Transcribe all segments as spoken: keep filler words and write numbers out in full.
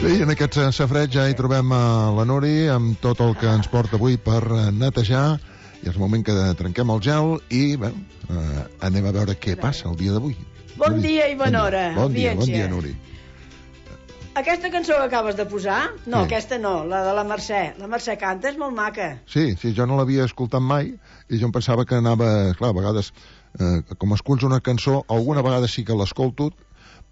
Sí, en aquest safreig ja hi trobem a la Nuri amb tot el que ens porta avui per netejar, i és el moment que trenquem el gel i, bé, eh, anem a veure què passa el dia d'avui. Bon dia i bona hora. Bon dia, bon dia, Nuri. Aquesta cançó que acabes de posar, no, Sí. aquesta no, la de la Mercè. La Mercè canta, és molt maca. Sí, sí, jo no l'havia escoltat mai i jo em pensava que anava, clar, a vegades, eh, com esculls una cançó, alguna vegada sí que l'escolto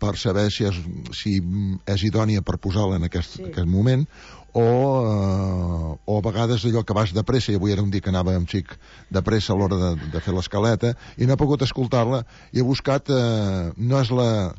per saber si és, si és idònia per posar-la en aquest, Sí. aquest moment, o, eh, o a vegades allò que vas de pressa, i avui era un dia que anava un xic de pressa a l'hora de, de fer l'escaleta, i no he pogut escoltar-la, i he buscat, eh, no és la...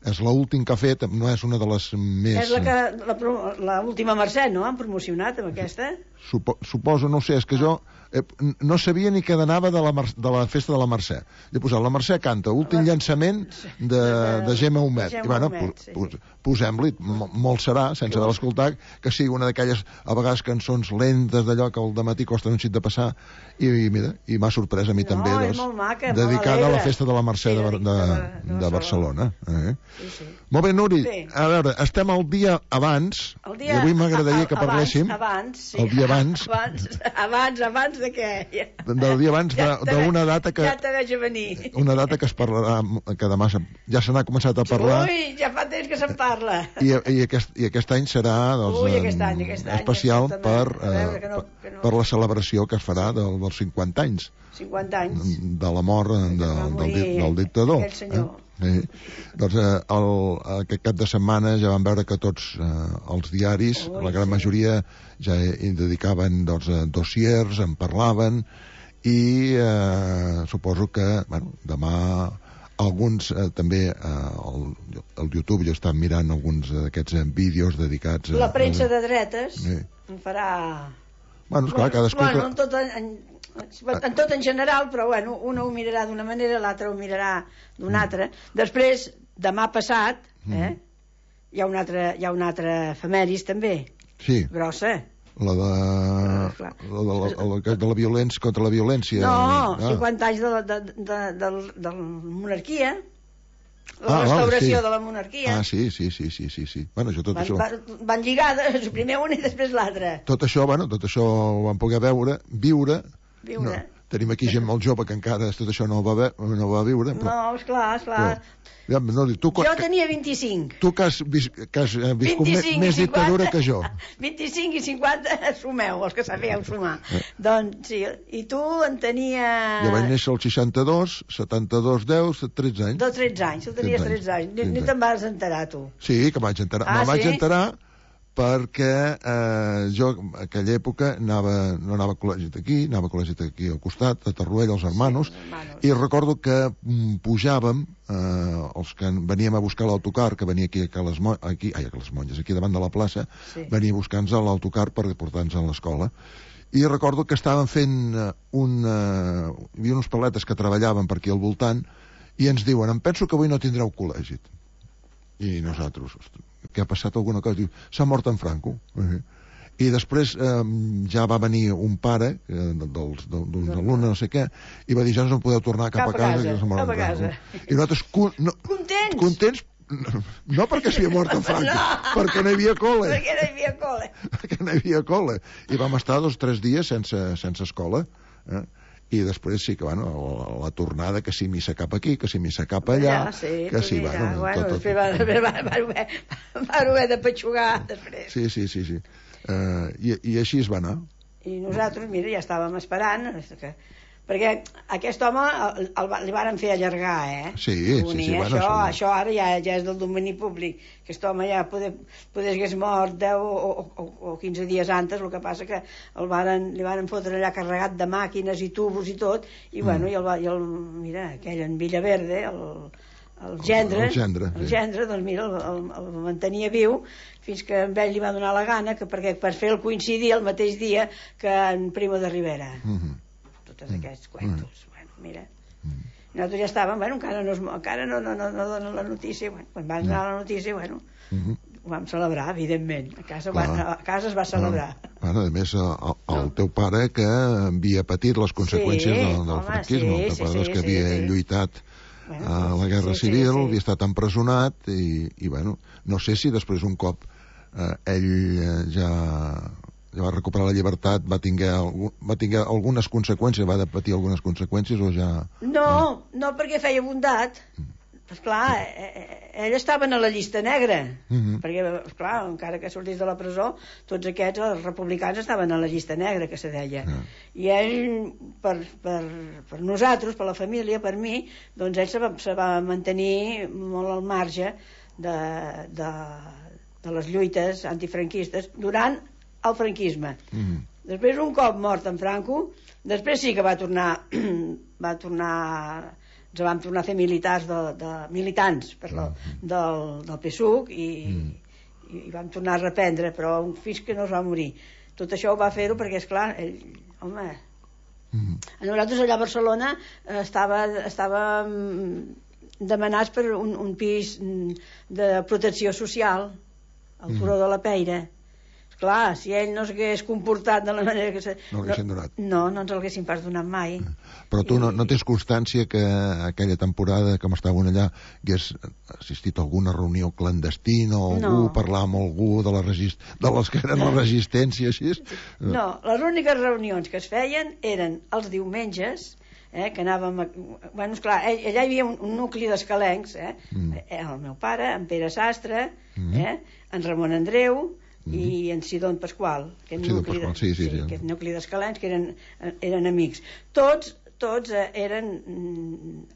és l'últim que ha fet, no és una de les més... És la que la, pro- la última Mercè, no? Han promocionat amb aquesta? Supo, suposo, no ho sé, és que jo eh, no sabia ni que anava de la, Mer- de la festa de la Mercè. He posat la Mercè canta, últim La- llançament de, de Gemma Humet. Gemma I bueno, Humet, pu- sí, pu- sí. posem-li, mo- molt serà, sense haver l'escoltat, que sigui una d'aquelles, a vegades, cançons lentes d'allò que al dematí costa un xic de passar, i, i mira, i m'ha sorprès a mi No, també, és doncs, molt maca, molt dedicada a la alegre. festa de la Mercè Sí, de, de- de, de- de, de Barcelona. Eh? Sí, sí. Molt bé, Nuri, Sí. a veure, estem al dia abans, El i avui m'agradaria que parléssim Abans, sí. el dia abans, Abans, abans, abans de què? Ja, del dia abans ja de- te d'una ve- data que... Ja te veig a venir. una data que es parlarà, que demà se- ja se n'ha començat a parlar, Ui, ja fa temps que se'n parla. i, i, aquest, i aquest any serà doncs, Ui, aquest any, em, aquest any, especial escolta'm, per, a veure, eh, que no- per- que no. per la celebració que es farà del, dels cinquanta anys cinquanta anys. de la mort de, va del, morir di- del dictador. aquell senyor. Eh? Sí. Doncs eh, el, aquest cap de setmana ja vam veure que tots eh, els diaris, Ui, la gran sí. majoria, ja hi dedicaven doncs, eh, dossiers, en parlaven, i eh, suposo que bueno, demà alguns eh, també eh, el, el YouTube jo estava mirant alguns d'aquests eh, vídeos dedicats a... La premsa de dretes Sí. en farà... Bueno, esclar, cadascú... Bueno, en tot en, en, en tot en general, però bueno, un ho mirarà d'una manera, l'altre ho mirarà d'una altra. Després, demà passat, eh, hi ha un altre, hi ha un altre efemèris també, Sí, grossa. la de, Clar. la de, la, la, de, de la violència contra la violència. No, Ah. cinquanta anys de la, de, de, de, de la monarquia, la Ah, vale, restauració sí. de la monarquia. Ah, sí, sí, sí, sí, sí, sí. Bueno, jo tot van, això... van, van lligades, primer una i després l'altra. Tot això, bueno, tot això ho vam poder veure, viure. Viure. No, tenim aquí gent molt jove que encara tot això no ho va, ve, no ho va viure. Però, No, esclar, esclar. ja, no, tu, Jo tenia vint-i-cinc. tu que has, vis, que has eh, viscut més, vint-i-cinc més i dictadura cinquanta. que jo. vint-i-cinc i cinquanta, sumeu, els que sabeu sumar. Eh. Doncs sí, i tu en tenies... Jo vaig néixer al seixanta-dos, setanta-dos, deu, tretze anys. De tretze anys, tu tenies tretze anys, tretze anys. Ni, tretze ni anys. te'n vas enterar, tu. Sí, que vaig enterar. Ah, Me'n vaig sí? enterar perquè eh, jo en aquella època anava, no anava a col·legi d'aquí, anava a col·legi d'aquí al costat, a Tarruella, als hermanos, Sí, hermanos. i recordo que mm, pujàvem, eh, els que veníem a buscar l'autocar, que venia aquí a les, Mo aquí, ai, a les Monges, aquí davant de la plaça, Sí. venia a buscar-nos a l'autocar per portar-nos a l'escola. I recordo que estaven fent eh, un... Eh, hi havia uns paletes que treballaven per aquí al voltant, i ens diuen, em penso que avui no tindreu col·legi. I nosaltres, ostres, què ha passat alguna cosa? Diu, s'ha mort en Franco. Uh-huh. I després eh, ja va venir un pare eh, dels, d'uns alumnes, no sé què, i va dir, ja no podeu tornar cap, Cap a casa, a casa, que s'ha mort cap en a casa. Franco. I nosaltres, con, no, Contents! contents, no perquè s'havia mort en Franco, No. perquè no hi havia col·le. Perquè no hi havia col·le. perquè no hi havia col·le. I vam estar dos o tres dies sense, sense escola. Eh? I després sí que, bueno, la, la tornada, que si missa cap aquí, que si missa cap allà, Ja, sí, que sí, mira, bueno, bueno, tot, tot, després van, van, van, van, van, van haver de petxugar després. Sí, sí, sí, sí. Uh, i, I així es va anar. I nosaltres, mira, ja estàvem esperant, que, perquè aquest home el, el, li varen fer allargar, eh? Sí, sí, Unir, sí, bueno, això, això- això ara ja, ja és del domini públic. Aquest home ja poder, poder hagués mort deu o, o, o quinze dies antes, el que passa que el varen, li varen fotre allà carregat de màquines i tubos i tot, i Mm. bueno, i el, va- i el, mira, aquell en Villaverde, el, el gendre, El gendre, el sí. gendre, doncs mira, el, el, el mantenia viu fins que a ell li va donar la gana, que perquè per fer el coincidir el mateix dia que en Primo de Rivera. Uh -huh. Tots aquests cuentos, bueno, mira. Nosaltres ja estàvem, bueno, encara no, es, encara no, no, no, no donen la notícia, bueno, quan van donar la notícia, bueno, Uh -huh. ho vam celebrar, evidentment. A casa, Clar. van, a casa es va celebrar. Bueno, a més, el, el teu pare que havia patit les conseqüències Sí, del, del home, franquisme, sí, el teu sí, pare sí, doncs, que sí, havia sí. lluitat Bueno, a la sí, Guerra sí, sí, Civil, sí. havia estat empresonat, i, i bueno, no sé si després un cop eh, ell eh, ja, ja va recuperar la llibertat, va tinguer, algun, va tinguer algunes conseqüències, va de patir algunes conseqüències o ja... No, no, perquè feia bondat. Esclar, ell estava a la llista negra, uh -huh. perquè, esclar, encara que sortís de la presó, tots aquests, els republicans, estaven a la llista negra, que se deia. Uh -huh. I ell, per, per, per nosaltres, per la família, per mi, doncs ell se va, se va mantenir molt al marge de, de, de les lluites antifranquistes durant el franquisme. Uh -huh. Després, un cop mort en Franco, després sí que va tornar, va tornar... ens vam tornar a fer militars de, de, militants perdó, del, del P S U C i, mm. i, i vam tornar a reprendre, però fins que no es va morir. Tot això ho va fer-ho perquè, esclar, ell, home, mm. a nosaltres allà a Barcelona estava, estava demanats per un, un pis de protecció social al Turó mm. de la Peira. Clar, si ell no s'hagués comportat de la manera que... Se... No l'haguessin donat. No, no ens l'haguessin pas donat mai. Però tu I... no, no tens constància que aquella temporada que estaven allà hagués assistit a alguna reunió clandestina o algú, no. parlar amb algú de, la resist... de les que eren la resistència, així? No, les úniques reunions que es feien eren els diumenges, eh, que anàvem... A... Bueno, esclar, allà hi havia un, un nucli d'escalencs, eh? Mm. El meu pare, en Pere Sastre, mm. eh? En Ramon Andreu... Mm -hmm. i en Sidon Pasqual, aquest Sidon nucli, Pasqual, sí, sí, sí, sí, aquest nucli d'escalens que eren, eren amics. Tots, tots eren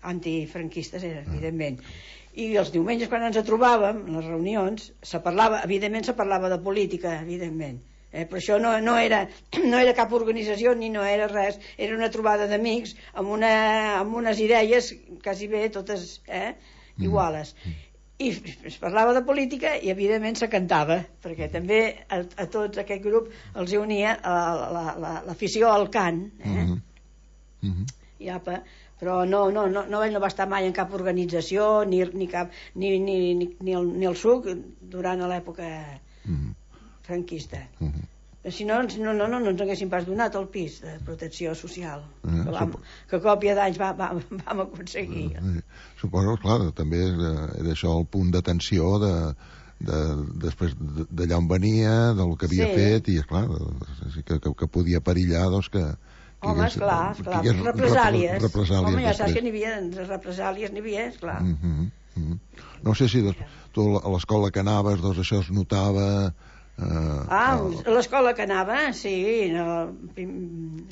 antifranquistes, eren, ah. evidentment. I els diumenges, quan ens trobàvem, les reunions, se parlava, evidentment se parlava de política, evidentment. Eh, però això no, no, era, no era cap organització ni no era res, era una trobada d'amics amb, una, amb unes idees quasi bé totes eh, iguales. Mm -hmm. I es parlava de política i evidentment se cantava, perquè també a, a tots aquest grup els unia l'afició la, la, al cant, eh? Mm -hmm. I apa, però no, no, no, no, ell no va estar mai en cap organització ni, ni, cap, ni, ni, ni, ni, el, ni el S U C durant l'època mm -hmm. franquista. Mm -hmm. Si no, no, no, no, no ens haguessin pas donat el pis de protecció social, eh, que, vam, que a còpia d'anys vam, vam, vam aconseguir. Eh, suposo, clar, també era això el punt d'atenció de, de, després d'allà on venia, del que havia sí. fet, i esclar, que, que, que podia perillar, doncs, que... Home, esclar, esclar, represàlies. represàlies. Home, ja saps que n'hi havia, represàlies n'hi havia, esclar. Mm -hmm, mm -hmm. No sé si doncs, tu a l'escola que anaves, doncs això es notava... Uh, ah, a l'escola que anava, sí, no,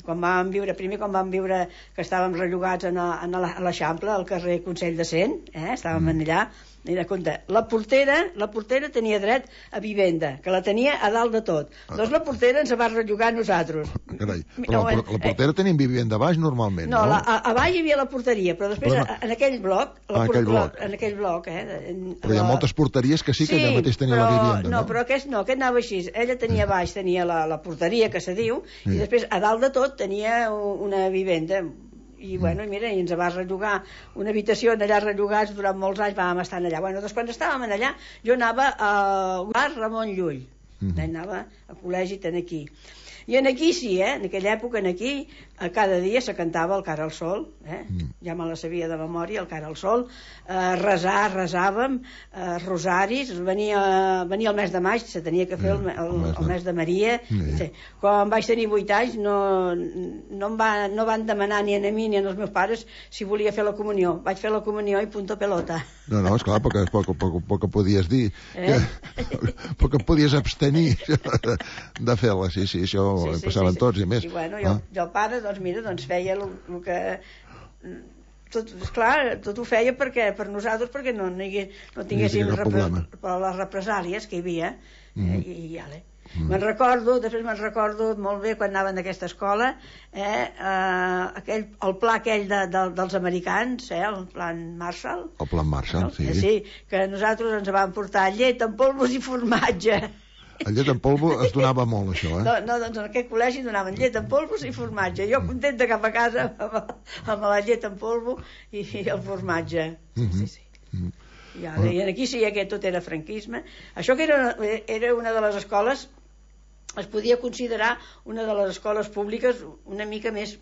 quan vam viure, primer quan vam viure que estàvem rellogats a l'Eixample, al carrer Consell de Cent, eh, estàvem mm. allà, i de compte, la portera, la portera tenia dret a vivenda, que la tenia a dalt de tot. Ah. Doncs la portera ens va rellogar a nosaltres. Carai, però la, la portera eh, tenia vivenda a baix normalment, no? No, la, a, a baix hi havia la porteria, però després però no... en aquell bloc, la ah, por, aquell bloc. La, en aquell bloc, eh. En, però hi ha moltes porteries que sí que sí, allà mateix tenia però, la vivenda, no? No, però aquest no, aquest anava així. Ella tenia a baix, tenia la, la porteria, que se diu, sí. I després a dalt de tot tenia una vivenda. I bueno, mira, i ens va rellogar una habitació allà rellogats durant molts anys, vam estar allà. Bueno, doncs quan estàvem allà jo anava a Ramon Llull, mm-hmm. anava a col·legi ten aquí. I en aquí sí, eh? En aquella època en aquí cada dia se cantava el Cara al Sol, eh? Mm. Ja me la sabia de memòria, el Cara al Sol, eh, resar, resàvem, eh, rosaris, venia, venia el mes de maig, se tenia que fer el, el, el mes de Maria. Mm. Sí. Quan vaig tenir vuit anys no, no, em va, no van demanar ni a mi ni als meus pares si volia fer la comunió. Vaig fer la comunió i punto pelota. No, no, esclar, perquè és poc, poc, poc que podies dir, eh? poc que podies abstenir de, de fer-la, sí, sí, això sí, sí, passaven sí, sí. tots i més. I bueno, jo, ah. jo el pare, doncs mira, doncs feia el, el que... Tot, esclar, tot ho feia perquè, per nosaltres, perquè no, no, hi, no tinguéssim repre, les represàlies que hi havia, mm. eh, i, i ale. Mm. Me'n recordo, després me'n recordo molt bé quan anaven d'aquesta escola, eh, eh, aquell, el pla aquell de, de, dels americans, eh, el plan Marshall. El plan Marshall, no? Sí. Eh, sí, que nosaltres ens vam portar llet amb polvos i formatge. El llet en polvo es donava molt, això, eh? No, no, doncs en aquest col·legi donaven llet en polvos i formatge. Jo contenta cap a casa amb, amb la llet en polvo i, i el formatge. Sí, mm -hmm. sí, sí. Mm -hmm. I, ara, I aquí sí que tot era franquisme. Això que era, era una de les escoles, es podia considerar una de les escoles públiques una mica més...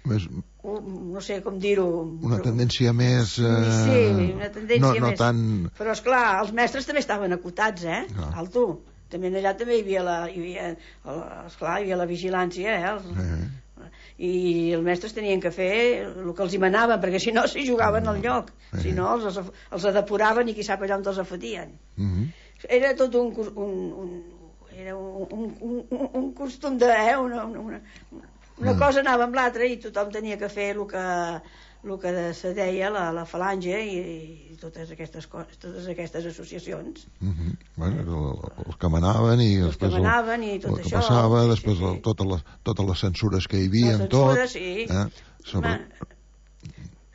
Més, no sé com dir-ho... Una tendència més... Eh... Sí, una tendència no, no més... Tan... Però, esclar, els mestres també estaven acotats, eh? No. Alto. També allà també hi havia la... Hi havia, esclar, hi havia la vigilància, eh? Els... Eh. I els mestres tenien que fer el que els hi manaven, perquè si no s'hi jugaven al lloc. Eh. Si no, els, els depuraven i qui sap allà on els afotien. Uh -huh. Era tot un... un, un era un, un, un, un costum de... Eh? Una, una, una mm. cosa anava amb l'altra i tothom tenia que fer el que, el que se deia la, la falange i, i totes aquestes coses, totes aquestes associacions. Mm -hmm. Bueno, els que manaven i els després que manaven i tot el que això, passava, sí, després sí, sí. El, totes, les, totes les censures que hi havia, les tot. Censures, sí. Eh? Sobre... Ma...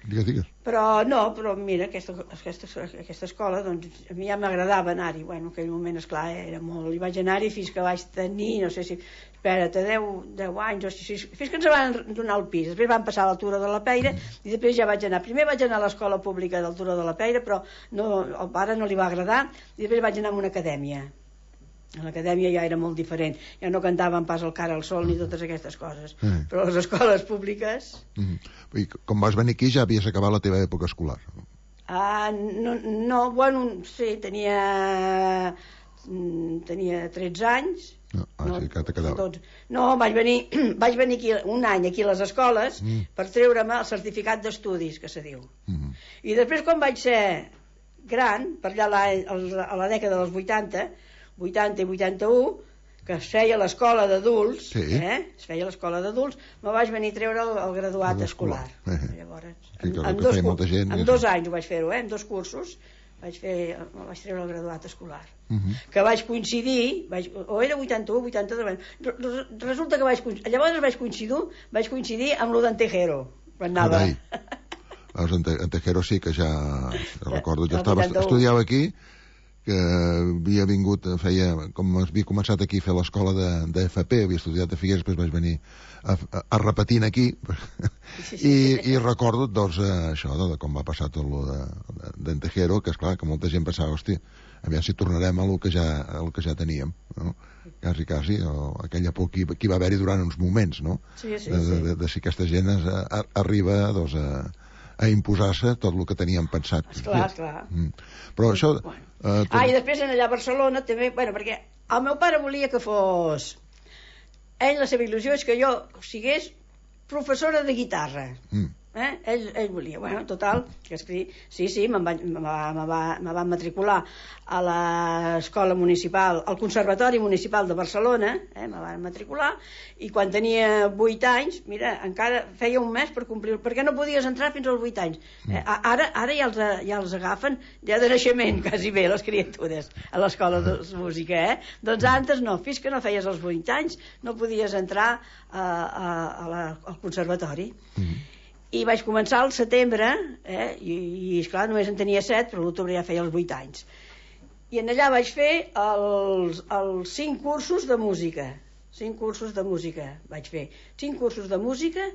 Digues, digues. Però no, però mira, aquesta, aquesta, aquesta escola, doncs, a mi ja m'agradava anar-hi. Bueno, en aquell moment, esclar, era molt... Hi vaig anar-hi fins que vaig tenir, no sé si... Espera't, deu, deu anys, o si, fins que ens van donar el pis. Després van passar a l'Altura de la Peira i després ja vaig anar. Primer vaig anar a l'escola pública d'Altura de la Peira, però no, al pare no li va agradar, i després vaig anar a una acadèmia. A l'acadèmia ja era molt diferent, ja no cantaven pas el Cara al Sol ni totes aquestes coses, mm. però les escoles públiques... Mm. I com vas venir aquí ja havies acabat la teva època escolar? Ah, no, no, bueno, sí, tenia tenia tretze anys. No, ah, no, sí, que te quedava. Tots. No, vaig venir, vaig venir aquí un any aquí a les escoles mm. per treure'm el certificat d'estudis, que se diu. Mm. I després, quan vaig ser gran, per allà a la, a la dècada dels vuitanta, vuitanta i vuitanta-u, que es feia l'escola d'adults, sí. eh? es feia l'escola d'adults, me vaig venir a treure el, el graduat el escolar. Eh. Llavors, sí, en, en, dos, gent, en dos anys ho vaig fer-ho, eh? en dos cursos, vaig, fer, vaig treure el graduat escolar. Uh -huh. Que vaig coincidir, vaig, o era vuitanta-u, vuitanta-dos, resulta que vaig coincidir, llavors vaig coincidir, vaig coincidir amb lo d'en Tejero, quan anava. Veus, en Tejero sí que ja, ja recordo, jo estava, estudiava aquí, que havia vingut, feia, com havia començat aquí a fer l'escola de, de F P, havia estudiat a Figueres, després vaig venir a, a, a repetint aquí, sí, sí. I, i recordo, doncs, això, de, de com va passar tot lo de, de, de Tejero, que, esclar, que molta gent pensava, hòstia, aviam si tornarem a lo que ja, a lo que ja teníem, no? Quasi, quasi, o aquella por que, que hi va haver-hi durant uns moments, no? Sí, sí, de, de, de, de si aquesta gent es, a, arriba, doncs, a, a imposar-se tot el que teníem pensat. Esclar, esclar. Mm. Però això... Bueno. Uh, ah, i després en allà a Barcelona també, bueno, perquè el meu pare volia que fos, ell la seva il·lusió és que jo sigués professora de guitarra. Mm. Eh? Ell, ell volia, bueno, total, que escrit, sí, sí, me'n vaig, me va, me va, me va matricular a l'escola municipal, al Conservatori Municipal de Barcelona, eh, me van matricular, i quan tenia vuit anys, mira, encara feia un mes per complir, perquè no podies entrar fins als vuit anys. Eh, ara ara ja els, ja els agafen ja de naixement, quasi bé, les criatures, a l'escola de música, eh? Doncs antes no, fins que no feies els vuit anys, no podies entrar a, a, a la, al conservatori. Mm. I vaig començar al setembre, eh, i, i esclar, només en tenia set, però l'octubre ja feia els vuit anys. I en allà vaig fer els, els cinc cursos de música. Cinc cursos de música vaig fer. Cinc cursos de música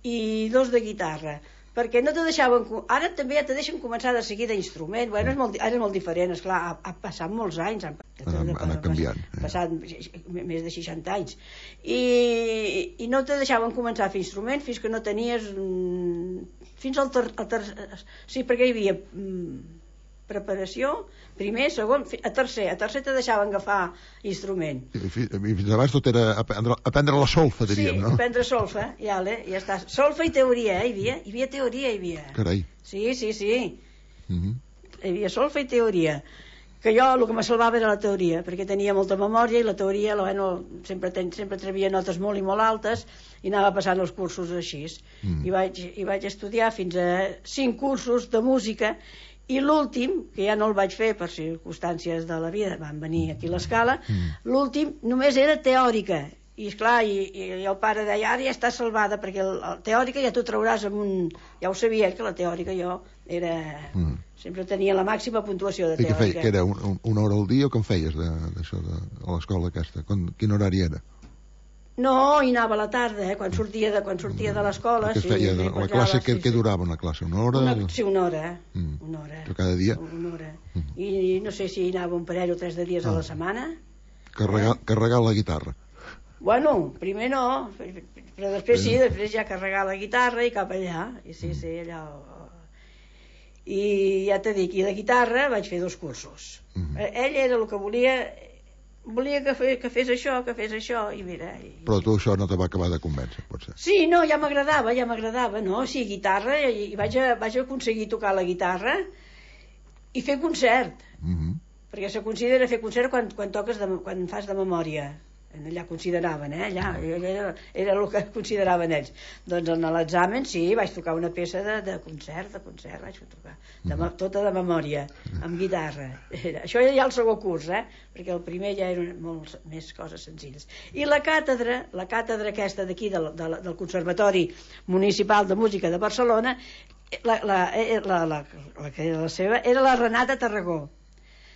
i dos de guitarra. Perquè no te deixaven... Ara també ja te deixen començar de seguida instrument. Bueno, és molt, ara és molt diferent, esclar, ha, ha passat molts anys. Han, han, han canviat. Ha passat més de seixanta anys. I, i no te deixaven començar a fer instrument fins que no tenies... Fins al ter... Al ter sí, perquè hi havia preparació, primer, segon, a tercer. A tercer te deixaven agafar instrument. I fins abans tot era aprendre, aprendre la solfa, diríem, sí, no? Sí, aprendre solfa, ja, ja està. Solfa i teoria, eh, hi havia? Hi havia teoria, hi havia. Carai. Sí, sí, sí. Uh -huh. Hi havia solfa i teoria. Que jo el que me salvava era la teoria, perquè tenia molta memòria i la teoria, bueno, sempre, ten, sempre trebia notes molt i molt altes i anava passant els cursos així. Mm. I, vaig, I vaig estudiar fins a cinc cursos de música. I l'últim, que ja no el vaig fer per circumstàncies de la vida, van venir aquí a l'escala, mm. l'últim només era teòrica. I esclar, i, i el pare deia, ara ja està salvada, perquè el, el teòrica ja t'ho trauràs amb un... Ja ho sabia, que la teòrica jo era... Mm. Sempre tenia la màxima puntuació de teòrica. I què feia? Que era un, una hora al dia o com feies d'això, de, de, a l'escola aquesta? Quan, quin horari era? No, hi anava a la tarda, eh? quan sortia de, quan sortia de l'escola. Què es feia? Sí, la classe, què sí, durava una classe? Una hora? Una, sí, una hora. Mm. Una hora. Però cada dia? Una hora. Mm. I no sé si hi anava un parell o tres de dies ah. a la setmana. Carregar, eh? carregar la guitarra. Bueno, primer no, però després sí, després ja carregar la guitarra i cap allà, i sí, sí, allà... I ja t'he dit, i de guitarra vaig fer dos cursos. Mm-hmm. Ell era el que volia, volia que, fe, que fes això, que fes això, i mira... I... Però tu això no te va acabar de convèncer, potser? Sí, no, ja m'agradava, ja m'agradava, no? Sí, guitarra, i vaig, a, vaig aconseguir tocar la guitarra i fer concert. Mm-hmm. Perquè se considera fer concert quan, quan toques, de, quan fas de memòria. Allà consideraven, eh? Allà, era, era el que consideraven ells. Doncs en l'examen sí, vaig tocar una peça de, de concert, de concert vaig tocar, de, mm. tota de memòria, amb guitarra. Era, això era ja el segon curs, eh? Perquè el primer ja eren molt més coses senzilles. I la càtedra, la càtedra aquesta d'aquí, del, del, del Conservatori Municipal de Música de Barcelona, la, la, la, la, la que era la seva, era la Renata Tarragó,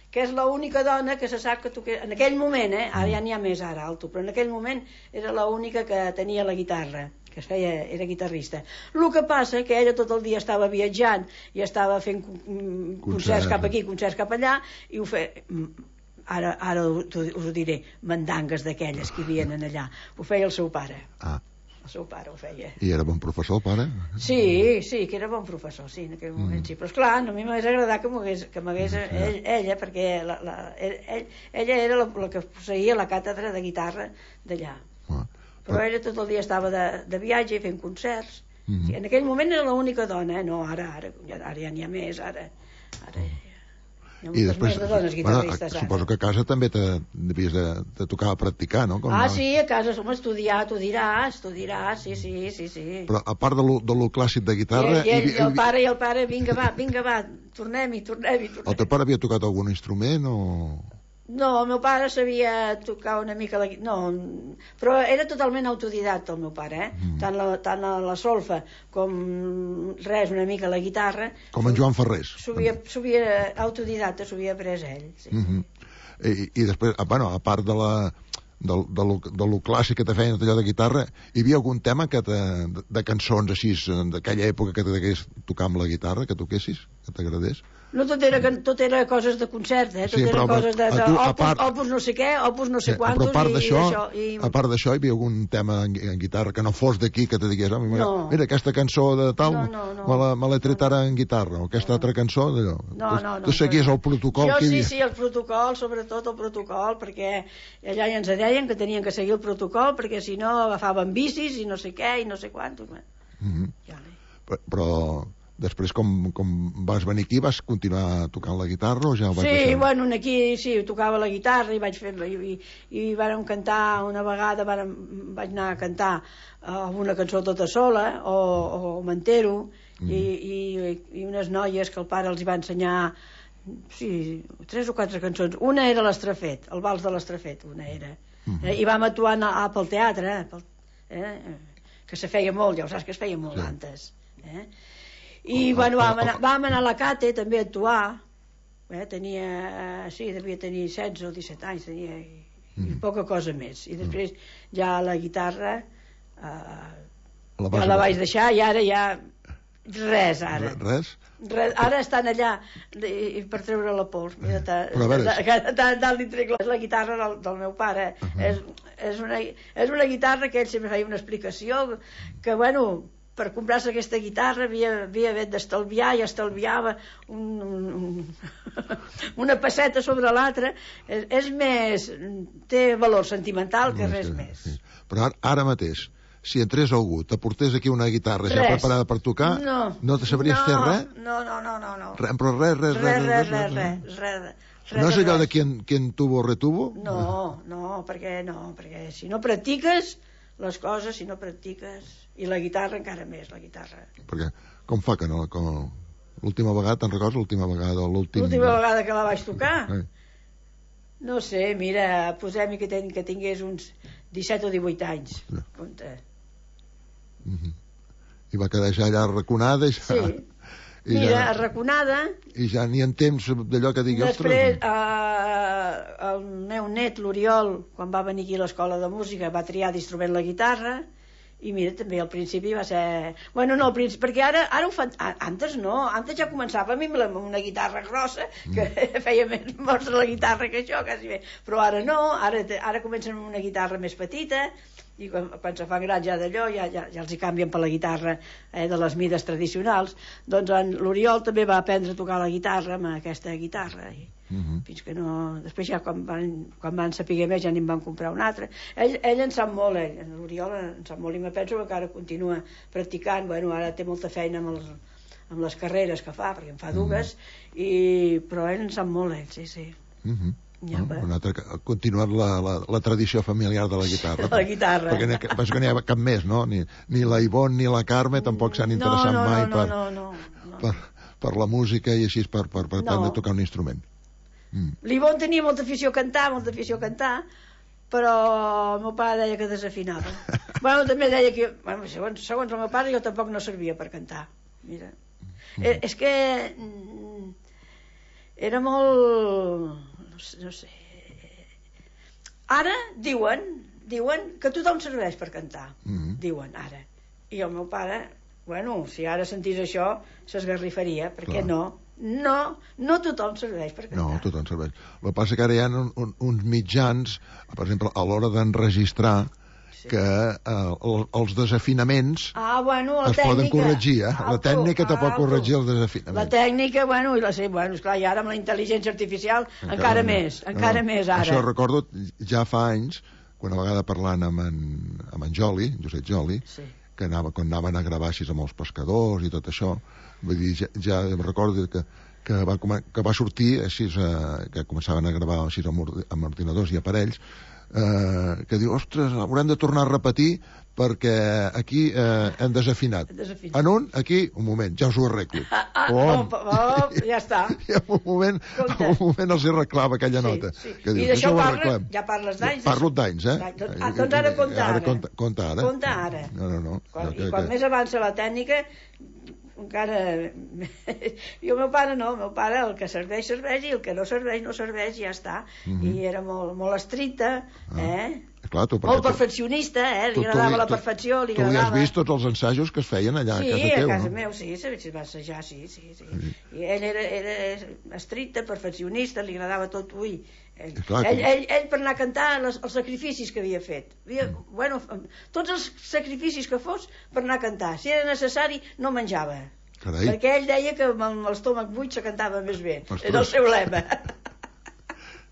que és l'única dona que se sap que toqués... En aquell moment, eh? Ara ja n'hi ha més, ara, alto, però en aquell moment era l'única que tenia la guitarra, que es feia, era guitarrista. El que passa que ella tot el dia estava viatjant i estava fent concerts Concert. cap aquí, concerts cap allà, i ho feia... Ara, ara us ho diré, mandangues d'aquelles que hi havien allà. Ho feia el seu pare. Ah. El seu pare ho feia. I era bon professor, el pare? Sí, sí, que era bon professor, sí, en aquell moment, mm. sí. Però esclar, no, a mi m'hagués agradat que m'hagués, que m'hagués sí. ell, ella, perquè la, la, ell, ella era la, la que posseïa la càtedra de guitarra d'allà. Ah. Però, però ella tot el dia estava de, de viatge fent concerts. Mm. Sí, en aquell moment era l'única dona, eh? No, ara, ara, ja, ara ja n'hi ha més, ara... ara i després, de dones guitarristes, bueno, suposo que a casa també te devies de, de tocar a practicar, no? Com ah, no? sí, a casa som estudiar, tu diràs, tu diràs, sí, sí, sí, sí. Però a part de lo, de lo clàssic de guitarra... I, i, i, i el pare, i el pare, vinga va, vinga va, tornem-hi, tornem-hi, tornem-hi. El teu pare havia tocat algun instrument o...? No, el meu pare sabia tocar una mica la guitarra, no, però era totalment autodidacte el meu pare, eh? Mm. Tant, la, tant la solfa com res, una mica la guitarra. Com en Joan Ferrés. S'havia autodidacte, s'havia après ell. Sí. Mm-hmm. I, I després, bueno, a part de la... De, de, lo, de lo clàssic que te feien allò de guitarra, hi havia algun tema que te, de, de cançons així d'aquella època que t'hagués tocar amb la guitarra, que toquessis, que t'agradés? No, tot era, tot era coses de concert, eh? Tot sí, era coses de, de tu, opus, part, opus no sé què, opus no sé sí, quantos, però a part d'això, i, i... a part d'això hi havia algun tema en, en guitarra que no fos d'aquí, que te digués, oh, mira, no. mira, aquesta cançó de tal, no, no, no, me, la, me l'he tret no, ara en guitarra, o aquesta no. altra cançó d'allò. No, no, no. Tu seguies el protocol jo, que hi havia. havia. Sí, sí, el protocol, sobretot el protocol, perquè allà ja ens deien que tenien que seguir el protocol, perquè si no agafaven bicis i no sé què, i no sé quant. Mm-hmm. Ja, però, però després, com, com vas venir aquí, vas continuar tocant la guitarra o ja ho vas sí, deixar? Sí, bueno, aquí sí, tocava la guitarra i vaig fer... I, i, i vàrem cantar una vegada, vàrem, vaig anar a cantar uh, una cançó tota sola, o, o m'entero, mm. i, i, i unes noies que el pare els hi va ensenyar, sí, tres o quatre cançons. Una era l'Estrafet, el vals de l'Estrafet, una era. Mm. Eh, I vam actuar a, a, pel teatre, pel, eh, que se feia molt, ja ho saps que es feia molt sí. antes. Eh? I bueno, vam anar, vam anar a la Cate també a actuar, eh, tenia, sí, devia tenir setze o disset anys, tenia, i, mm. i poca cosa més. I després ja la guitarra eh, la ja la vaig deixar i ara ja res, ara. Res? Res, ara estan allà i, per treure la pols. Mira, tant li trec la, la guitarra del, del meu pare. Uh -huh. és, és, una, és una guitarra que ell sempre feia una explicació que, bueno, per comprar-se aquesta guitarra havia, havia d'estalviar i estalviava un, un, un, una passeta sobre l'altra. És, és més, té valor sentimental que no, res sí, més. Sí. Però ara, ara mateix, si entrés algú, t'aportés aquí una guitarra res. ja preparada per tocar, no, no te sabries no, fer res? No, no, no, no. no. Re, però res, res, res, res, res, res, res, res. No és allò de quien, quien tuvo retuvo? No, no, perquè no, perquè si no practiques les coses, si no practiques... I la guitarra encara més, la guitarra. Perquè com fa que no... L'última vegada, te'n recordes? L'última vegada, l'últim... L'última vegada que la vaig tocar? Eh. No sé, mira, posem-hi que, ten, que tingués uns disset o divuit anys. Ja. Compte. Mm-hmm. I va quedar ja allà arraconada i ja... Sí. I mira, ja... arraconada... I ja ni en temps d'allò que digui... Després, eh, el meu net, l'Oriol, quan va venir aquí a l'escola de música, va triar d'instrument la guitarra, I mira, també al principi va ser... Bueno, no, al principi, perquè ara, ara ho fan... Antes no, antes ja començava a mi amb una guitarra grossa, que mm. feia més mostra la guitarra que això, quasi bé. Però ara no, ara, ara comencen amb una guitarra més petita, i quan, quan se fan grans ja d'allò, ja, ja, ja els hi canvien per la guitarra eh, de les mides tradicionals. Doncs l'Oriol també va aprendre a tocar la guitarra amb aquesta guitarra, i Uh-huh. fins que no... Després ja quan van, quan van saber més ja n'hi van comprar un altre. Ell, ell en sap molt, ell, l'Oriol en sap molt, i me penso que encara continua practicant. Bueno, ara té molta feina amb, els, amb les carreres que fa, perquè en fa dues, uh-huh. i... però ell en sap molt, ell, sí, sí. Uh-huh. Ja, no, un altre, ha continuat la, la, la tradició familiar de la guitarra. La guitarra. Perquè n'hi ha, que n'hi ha cap més, no? Ni, ni la Ivonne ni la Carme tampoc s'han interessat no, no, mai no, per, no, no, no. Per, per la música i així per, per, per no. aprendre a tocar un instrument. Mm. L'Ivonne tenia molta afició a cantar, molta afició a cantar, però el meu pare deia que desafinava. Bueno, també deia que... Bueno, segons, segons el meu pare, jo tampoc no servia per cantar. Mira. Mm. Eh, és que... Era molt... No sé, no sé... Ara diuen, diuen que tothom serveix per cantar. Mm. Diuen, ara. I el meu pare, bueno, si ara sentís això, s'esgarrifaria, perquè no... No, no tothom serveix per cantar. No, tothom serveix. El que passa que ara hi ha un, un, uns mitjans, per exemple, a l'hora d'enregistrar, sí. que eh, els desafinaments ah, bueno, es tècnica. poden corregir, eh? Alto, la tècnica te pot corregir els desafinaments. La tècnica, bueno, i la sé, bueno, esclar, i ara amb la intel·ligència artificial encara, encara més, encara no, més ara. Això recordo ja fa anys, quan a vegada parlant amb en, amb en Joli, Josep Joli, sí. que anava, quan anaven a gravar així amb els pescadors i tot això, vull dir, ja, ja recordo que, que, va, que va sortir així, eh, que començaven a gravar així amb, amb ordinadors i aparells, eh, que diu, ostres, haurem de tornar a repetir perquè aquí eh, hem desafinat. desafinat. En un, aquí, un moment, ja us ho arreglo. Ah, ah, oh, oh, ja està. I en un moment, en un moment els hi reclava aquella sí, nota. Sí. Que dius, I d'això parla, ja parles d'anys. Parlo d'anys, eh? Doncs, ah, doncs ara compta ara. Ara compta, compta ara. Compta ara. No, no, no. Quan, que, I quan que... més avança la tècnica, encara... I el meu pare no, el meu pare el que serveix, serveix, i el que no serveix, no serveix, i ja està. Mm-hmm. I era molt, molt estricte, ah. eh? Clar, tu, molt perfeccionista, eh? Li tu, agradava tu, la perfecció, li tu agradava... Tu li has vist tots els ensajos que es feien allà sí, a casa teu, no? Sí, a casa meu, sí, sí, va assajar, sí, sí, sí. sí. I ell era, era estricte, perfeccionista, li agradava tot, ui... Ell, clar, ell, ell, ell per anar a cantar les, els sacrificis que havia fet havia, mm. bueno, tots els sacrificis que fos per anar a cantar, si era necessari no menjava. Carai. Perquè ell deia que amb l'estómac buit se cantava més bé. Ostres. Era el seu lema.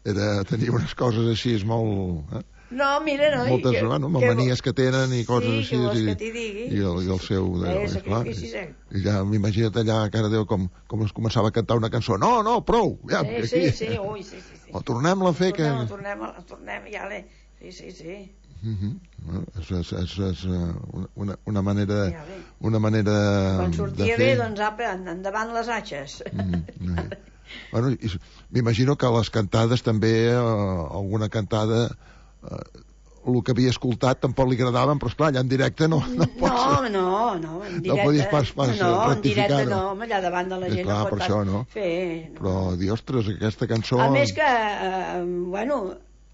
Era, tenia unes coses així molt... Eh? No, mira, no. Moltes, que, bueno, que, manies que tenen i coses sí, així. Que que i, i, el, I el seu... De, eh, clar, i, eh? I ja m'imagina't allà a cara Déu com, com es començava a cantar una cançó. No, no, prou! Ja, sí, aquí. sí, sí, ui, sí, sí, sí. O tornem-la a fer tornem, que... Tornem, tornem, ja l'he... Sí, sí, sí. Uh-huh. Bueno, és, és, és, és una, una manera ja una manera quan sortia de fer... bé, doncs apa, endavant les atxes. Mm-hmm. Bueno, m'imagino que a les cantades també eh, alguna cantada eh, el que havia escoltat tampoc li agradaven, però esclar, allà en directe no, no pots... No, no, no, en directe... No podies pas, pas no, en directe no, allà davant de la gent clar, no pot per això, no? fer... No. Però, dir, ostres, aquesta cançó... A més que, eh, bueno,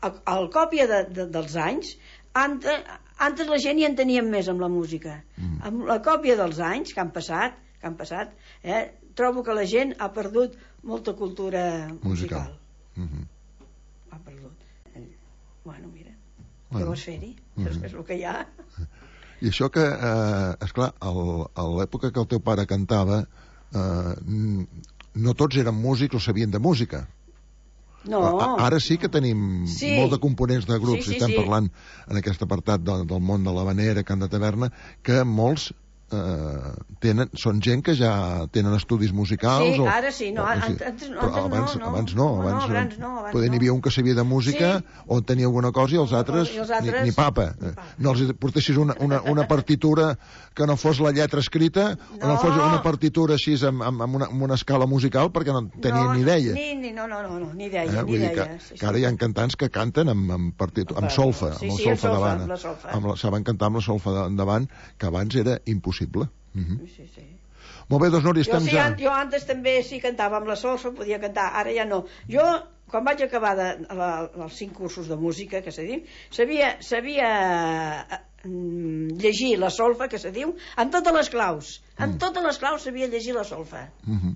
al còpia de, de, dels anys, antes, antes la gent hi en teníem més amb la música. Mm. Amb la còpia dels anys que han passat, que han passat, eh, trobo que la gent ha perdut molta cultura musical. musical. Mm-hmm. Ha perdut. Bueno, mira, bueno. Què vols fer-hi? Mm-hmm. És el que hi ha. I això que, eh, esclar, el, a l'època que el teu pare cantava, eh, no tots eren músics o sabien de música. No. Ara sí que tenim sí. molt de components de grups, sí, sí, estem sí. parlant en aquest apartat de, del món de l'havanera, cant de taverna, que molts eh, tenen, són gent que ja tenen estudis musicals. Sí, o, ara sí, no, o, antes, antes, però abans, no, no. abans no, abans no, abans no, abans poder no. N'hi havia un que sabia de música sí. o tenia alguna cosa i els altres, I els altres ni, ni papa. Ni papa. No els portessis una, una, una partitura que no fos la lletra escrita no. o no fos una partitura així amb, amb, amb, una, amb una escala musical perquè no tenien no, ni idea. Ni, ni, no, no, no, no, ni idea, eh? Ni idea. Que, sí, sí. que ara hi ha cantants que canten amb, amb, partitu, amb solfa, sí, amb el sí, solfa davant. La solfa. Amb la, saben cantar amb la solfa davant, que abans era impossible. Uh-huh. Sí, sí. Molt bé, doncs Núria, estem jo, sí, ja... Jo antes també sí cantava amb la solfa, podia cantar, ara ja no. Jo, quan vaig acabar de, la, els cinc cursos de música, que s'ha dit, sabia, sabia mm, llegir la solfa, que se diu, amb totes les claus. Amb Mm. totes les claus sabia llegir la solfa. Mhm.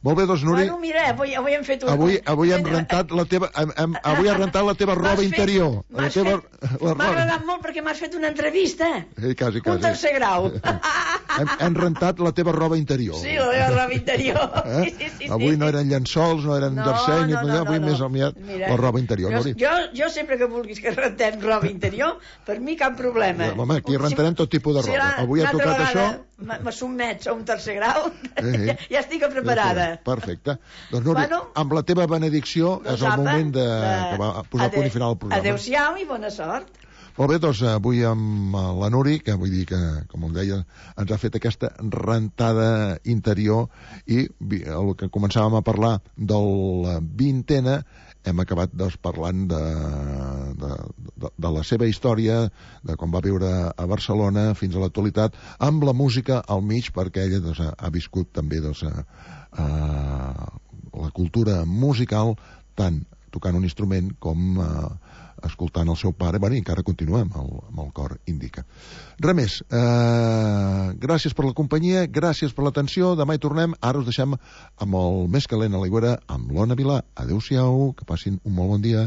Molt bé, doncs, Núria, Bueno, mira, avui, avui hem fet una... avui, avui hem rentat la teva, hem, hem, avui has rentat la teva roba M'has fet- interior. La m'has teva, fet- la M'ha roba. agradat molt perquè m'has fet una entrevista. Eh, quasi, Un quasi. tercer grau. Hem, hem rentat la teva roba interior. Sí, la meva roba interior. Eh? Sí, sí, sí, Avui sí. no eren llençols, no eren jersei, ni avui més aviat Mira, la roba interior. Jo, Núria. jo, jo sempre que vulguis que rentem roba interior, per mi cap problema. Home, aquí rentarem tot tipus de roba. Avui ha tocat això. Me sotmets a un tercer grau, Eh, ja, ja estic preparada. Perfecte. Doncs, Núria, Bueno, amb la teva benedicció Doncs és el apa, moment de, de- que va posar punt i final al programa. Adéu-siau i bona sort. Molt bé, doncs avui amb la Nuri, que vull dir que, com em deia, ens ha fet aquesta rentada interior i vi- el que començàvem a parlar del vintena, hem acabat doncs, parlant de, de, de, de la seva història, de com va viure a Barcelona fins a l'actualitat, amb la música al mig, perquè ella doncs, ha, ha viscut també doncs, a, a la cultura musical, tant tocant un instrument com a, escoltant el seu pare, bueno, i encara continua amb el, amb el cor Indica. Res més, eh, gràcies per la companyia, gràcies per l'atenció, demà hi tornem, ara us deixem amb el més calent a l'aigüera, amb l'Ona Vilà. Adéu-siau, que passin un molt bon dia.